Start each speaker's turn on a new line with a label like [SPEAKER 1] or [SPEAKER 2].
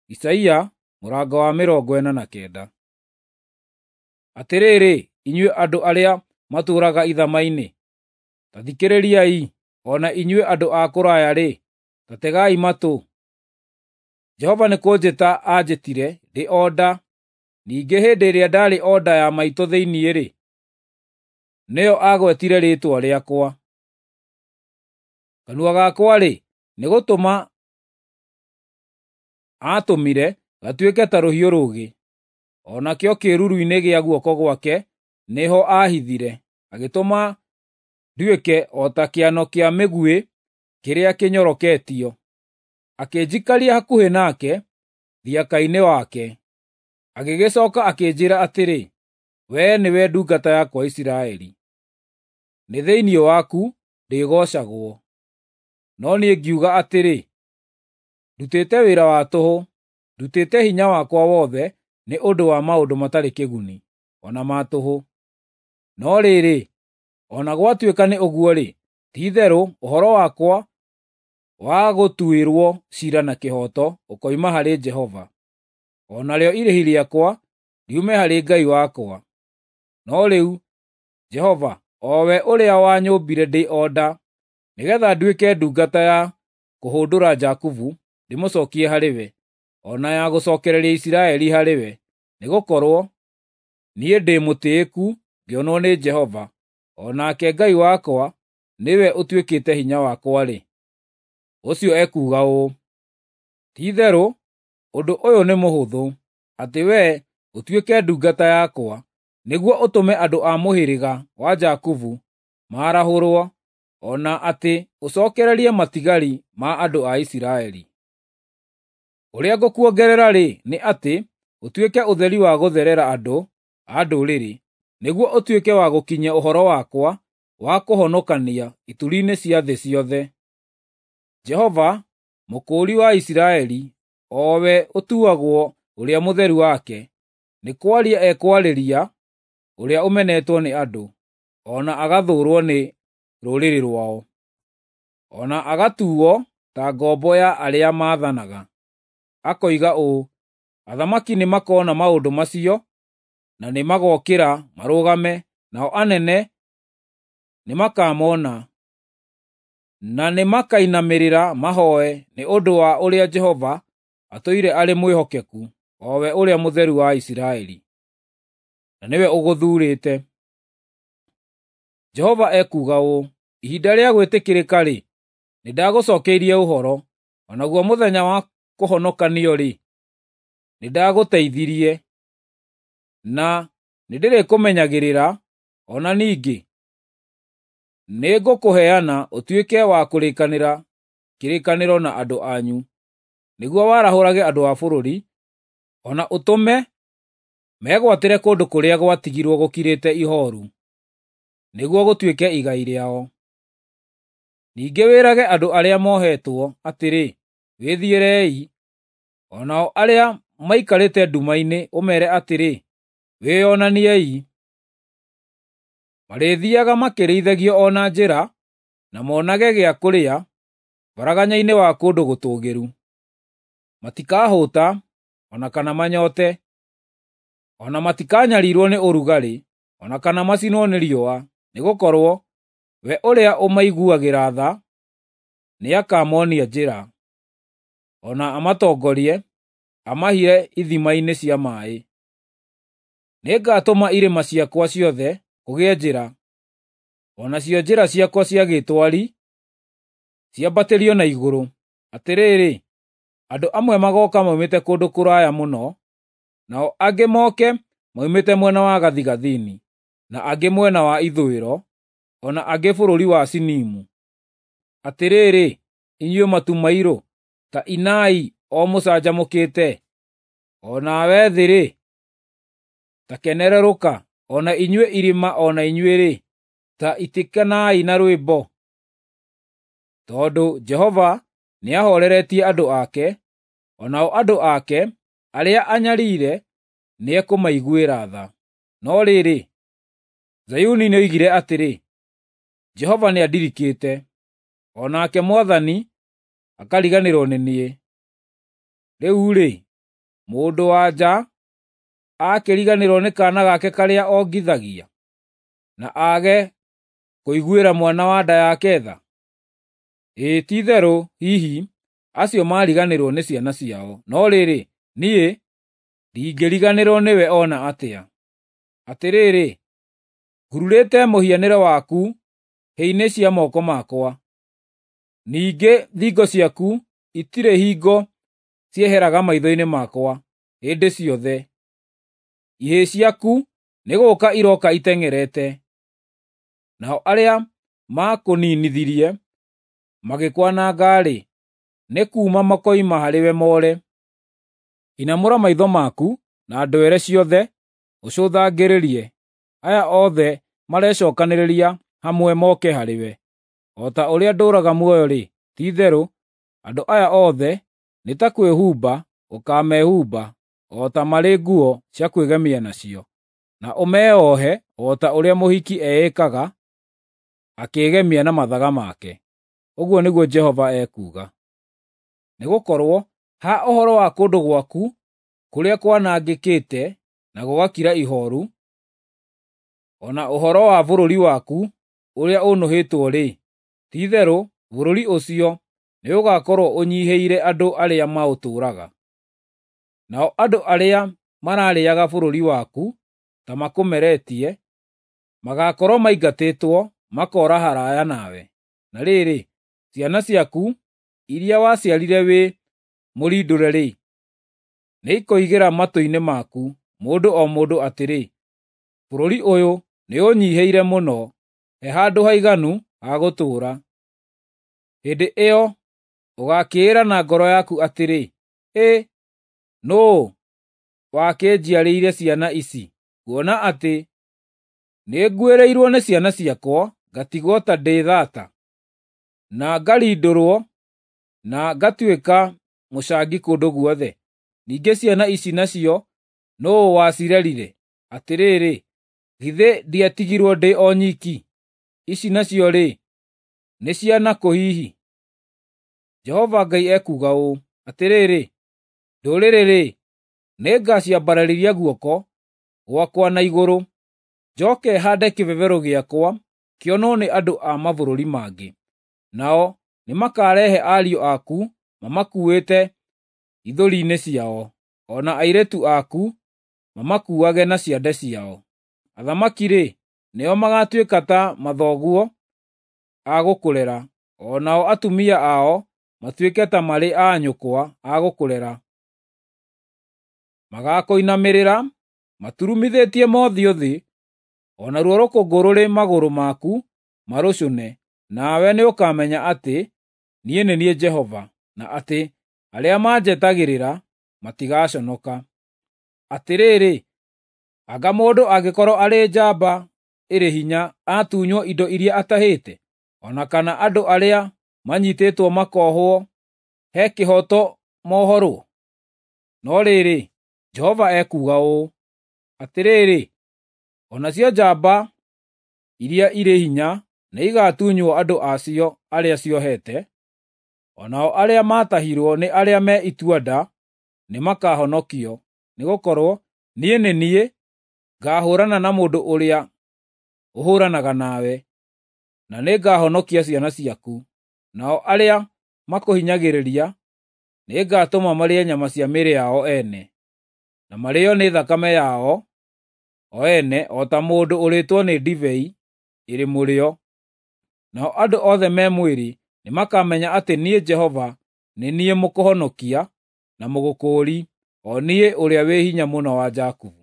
[SPEAKER 1] Isaia mũrango wa 49. Atĩrĩrĩ, inyuĩ andũ arĩa matũũraga ithama-inĩ, ta thikĩrĩriai, o na inyuĩ andũ a kũraya-rĩ, ta tegai matũ. Jehova nĩ kũnjĩta aanjĩtire ndĩ o nda, ningĩ hĩndĩ ĩrĩa ndaarĩ o nda ya maitũ thĩinĩ-rĩ, nĩyo aagwetire rĩĩtwa rĩakwa. Kanua gakwa-rĩ, nĩ gũtũma aatũmire gatuĩke ta rũhiũ rũũgĩ, o nakĩo kĩĩruru-inĩ gĩa guoko gwake nĩho aahithire, agĩtũma nduĩke o ta kĩano kĩa mĩguĩ kĩrĩa kĩnyoroketio. Akĩnjikaria hakuhĩ nake thiaka-inĩ wake, agĩgĩcooka akĩnjĩĩra atĩrĩ, “Wee nĩwe ndungata yakwa Isiraeli, nĩ thĩinĩ waku ndĩgoocagwo.” No niĩ ngiuga atĩrĩ, “Ndutĩte wĩra wa tũhũ, ndutĩte hinya wakwa wothe nĩ ũndũ wa maũndũ matarĩ kĩguni, o na ma tũhũ. No rĩrĩ, o na gwatuĩka nĩ ũguo-rĩ, ti-itherũ ũhoro wakwa wa gũtuĩrwo ciira na kĩhooto ũkoima harĩ Jehova, o narĩo irĩhi rĩakwa riume harĩ Ngai wakwa. No rĩu, Jehova, o we ũrĩa wanyũmbire ndĩ o nda, nĩgeetha nduĩke ndungata ya kũhũndũra Jakubu ndĩmũcookie harĩ we, o na ya gũcookereria Isiraeli harĩ we, nĩgũkorwo niĩ ndĩ mũtĩĩku ngĩonwo nĩ Jehova, o nake Ngai wakwa nĩwe ũtuĩkĩte hinya wakwa-rĩ, ũcio ekuuga ũũ: Ti-itherũ ũndũ ũyũ nĩ mũhũthũ, atĩ wee ũtuĩke ndungata yakwa, nĩguo ũtũme andũ a mũhĩrĩga wa Jakubu maarahũrwo, o na atĩ ũcookererie matigari ma andũ a Isiraeli. Ũrĩa ngũkuongerera-rĩ, nĩ atĩ ũtuĩke ũtheri wa gũtherera andũ a ndũrĩrĩ, nĩguo ũtuĩke wa gũkinyia ũhoro wakwa wa kũhonokania ituri-inĩ cia thĩ ciothe. Jehova, Mũkũũri wa Isiraeli, o we ũtuagwo Ũrĩa Mũtheru wake, nĩ kwaria ekwarĩria ũrĩa ũmenetwo nĩ andũ, o na agathũũrwo nĩ rũrĩrĩ rwao, o na agatuuo ta ngombo ya arĩa maathanaga. Akoiga ũũ, “Athamaki nĩmakona maũndũ macio na nĩmagookĩra marũgame, nao anene nĩmakamona, na nĩmakainamĩrĩra mahooe nĩ ũndũ wa ũrĩa Jehova atũire arĩ mwĩhokeku, o we Ũrĩa Mũtheru wa Isiraeli, na nĩwe ũgũthuurĩte.” Jehova ekuuga ũũ, “Ihinda rĩa gwĩtĩkĩrĩka-rĩ, nĩndagũcookeirie ũhoro, o naguo mũthenya wa kũhonokanio-rĩ, nĩndagũteithirie, na nĩndĩrĩkũmenyagĩrĩra, o na ningĩ nĩngũkũheana ũtuĩke wa kũrĩkanĩra kĩrĩkanĩro na andũ anyu, nĩguo warahũrage andũ a bũrũri, o na ũtũme megwatĩre kũndũ kũrĩa gwatigirwo gũkirĩte ihooru, nĩguo gũtuĩke igai rĩao. Ningĩ wĩrage andũ arĩa mohetwo atĩrĩ, ‘Wĩthiĩrei,’ o nao arĩa maikarĩte nduma-inĩ ũmeere atĩrĩ, ‘Wĩonaniei.’ Marĩthiiaga makĩrĩithagio o na njĩra, na monage gĩa kũrĩa baraganya-inĩ wa kũndũ gũtũũgĩru. Matikahũũta o na kana manyoote, o na matikanyariirwo nĩ ũrugarĩ, o na kana macinwo nĩ riũa, nĩgũkorwo we ũrĩa ũmaiguagĩra tha nĩakamonia njĩra, o na amatongorie amahire ithima-inĩ cia maaĩ. Nĩngatũma irĩma ciakwa ciothe kũgĩe njĩra, o nacio njĩra ciakwa cia gĩtwari ciambatĩrio na igũrũ. Atĩrĩrĩ, andũ amwe magooka moimĩte kũndũ kũraya mũno, nao angĩ moke moimĩte mwena wa gathigathini, na angĩ mwena wa ithũĩro, o na angĩ bũrũri wa Sinimu. Atĩrĩrĩ, inyuĩ matu mairũ, ta inai o mũcanjamũkĩte, o nawe thĩ-rĩ, ta kenerũrũka, o na inyuĩ irĩma o na inyuĩ-rĩ, ta itĩkanai na rwĩmbo. Tondũ Jehova nĩahooreretie andũ ake, o nao andũ ake arĩa anyariire nĩekũmaiguĩra tha. No rĩrĩ, Zayuni nĩoigire atĩrĩ, “Jehova nĩandirikĩte, o nake Mwathani akariganĩrwo nĩ niĩ.” Rĩu-rĩ, Mũndũ-wa-nja aakĩriganĩrwo nĩ kaana gake karĩa ongithagia, na aage kũiguĩra mwana wa nda yake tha? Ĩĩ, ti-itherũ hihi acio maariganĩrwo nĩ ciana ciao, no rĩrĩ, niĩ ndingĩriganĩrwo nĩwe o na atĩa. Atĩrĩrĩ, ngururĩte mũhianĩre waku hĩ-inĩ cia moko makwa, ningĩ thingo ciaku itirĩ hingo cieheraga maitho-inĩ makwa hĩndĩ ciothe. Ihĩĩ ciaku nĩ gũũka irooka iteng'erete, nao arĩa maakũninithirie magĩkwananga-rĩ, nĩ kuuma makoima harĩwe more. Inamũra maitho maku na ndwere ciothe ũcũthangĩrĩrie, aya othe marecookanĩrĩria hamwe moke harĩwe. O ta ũrĩa ndũũraga muoyo-rĩ, ti-itherũ andũ aya othe nĩ ta kwĩhumba ũkaamehumba o ta marĩ nguo cia kwĩgemia nacio, na ũmeohe o ta ũrĩa mũhiki eĩkaga akĩĩgemia na mathaga make. Ũguo nĩguo Jehova ekuuga. Nĩgũkorwo ha ũhoro wa kũndũ gwaku kũrĩa kwanangĩkĩte na gũgakira ihooru, o na ũhoro wa bũrũri waku ũrĩa ũnũhĩtwo-rĩ, ti-itherũ bũrũri ũcio nĩũgakorwo ũnyiihĩire andũ arĩa maũtũũraga. Nao andũ arĩa mararĩĩaga bũrũri waku ta makũmeretie, magaakorwo maingatĩtwo makoora haraaya nawe. Na rĩrĩ, ciana ciaku iria waciarire wĩ mũrindũre-rĩ, nĩikoigĩra matũ-inĩ maku, mũndũ o mũndũ atĩrĩ, ‘Bũrũri ũyũ nĩũũnyiihĩire mũno, he handũ haiganu ha gũtũũra.’ Hĩndĩ ĩyo ũgaakĩĩra na ngoro yaku atĩrĩ, ‘Ĩ, nũũ wakĩnjiarĩire ciana ici, kuona atĩ nĩnguĩrĩirwo nĩ ciana ciakwa ngatigwo ta ndĩ thaata, na ngarindũrwo na ngatuĩka mũcangi kũndũ guothe? Ningĩ ciana ici nacio nũũ wacirerire? Atĩrĩrĩ, githĩ ndiatigirwo ndĩ o nyiki? Ici nacio-rĩ, nĩ ciana kũ hihi?’ Jehova Ngai ekuuga ũũ: Atĩrĩrĩ, ndũrĩrĩ-rĩ, nĩngaciambararĩria guoko gwakwa na igũrũ, njoke haande kĩbebero gĩakwa kĩonwo nĩ andũ a mabũrũri mangĩ. Nao nĩmakarehe ariũ aku mamakuuĩte ithũri-inĩ ciao, o na airĩtu aku mamakuuage na ciande ciao. Athamaki-rĩ, nĩo magaatuĩka ta mathoguo a gũkũrera, o nao atumia ao matuĩke ta marĩ a nyũkwa a gũkũrera. Magaakũinamĩrĩra maturumithĩtie mothiũ thĩ, o naruo rũkũngũ rũrĩ magũrũ maku marũcũne, nawe nĩũkamenya atĩ niĩ nĩ niĩ Jehova, na atĩ arĩa manjetagĩrĩra matigaconoka. Atĩrĩrĩ, anga mũndũ angĩkorwo arĩ njamba ĩrĩ hinya atunywo indo iria atahĩte, o na kana andũ arĩa manyiitĩtwo makoohwo he kĩhooto mohorwo? No rĩrĩ, Jehova ekuuga ũũ: Atĩrĩrĩ, o nacio njamba iria irĩ hinya nĩigatunywo andũ a cio arĩa ciohete, o nao arĩa maatahirwo nĩ arĩa me itua-nda nĩmakahonokio, nĩgũkorwo niĩ nĩ niĩ ngaahũũrana na mũndũ ũrĩa ũhũũranaga nawe, na nĩngahonokia ciana ciaku. Nao arĩa makũhinyagĩrĩria nĩngatũma marĩe nyama cia mĩĩrĩ yao ene, na marĩĩo nĩ thakame yao o ene o ta mũndũ ũrĩĩtwo nĩ ndibei ĩrĩ mũrĩo. Nao andũ othe me mwĩrĩ nĩmakamenya atĩ niĩ Jehova nĩ niĩ mũkũhonokia na mũgũkũũri, o niĩ ũrĩa wĩ hinya mũno wa Jakubu.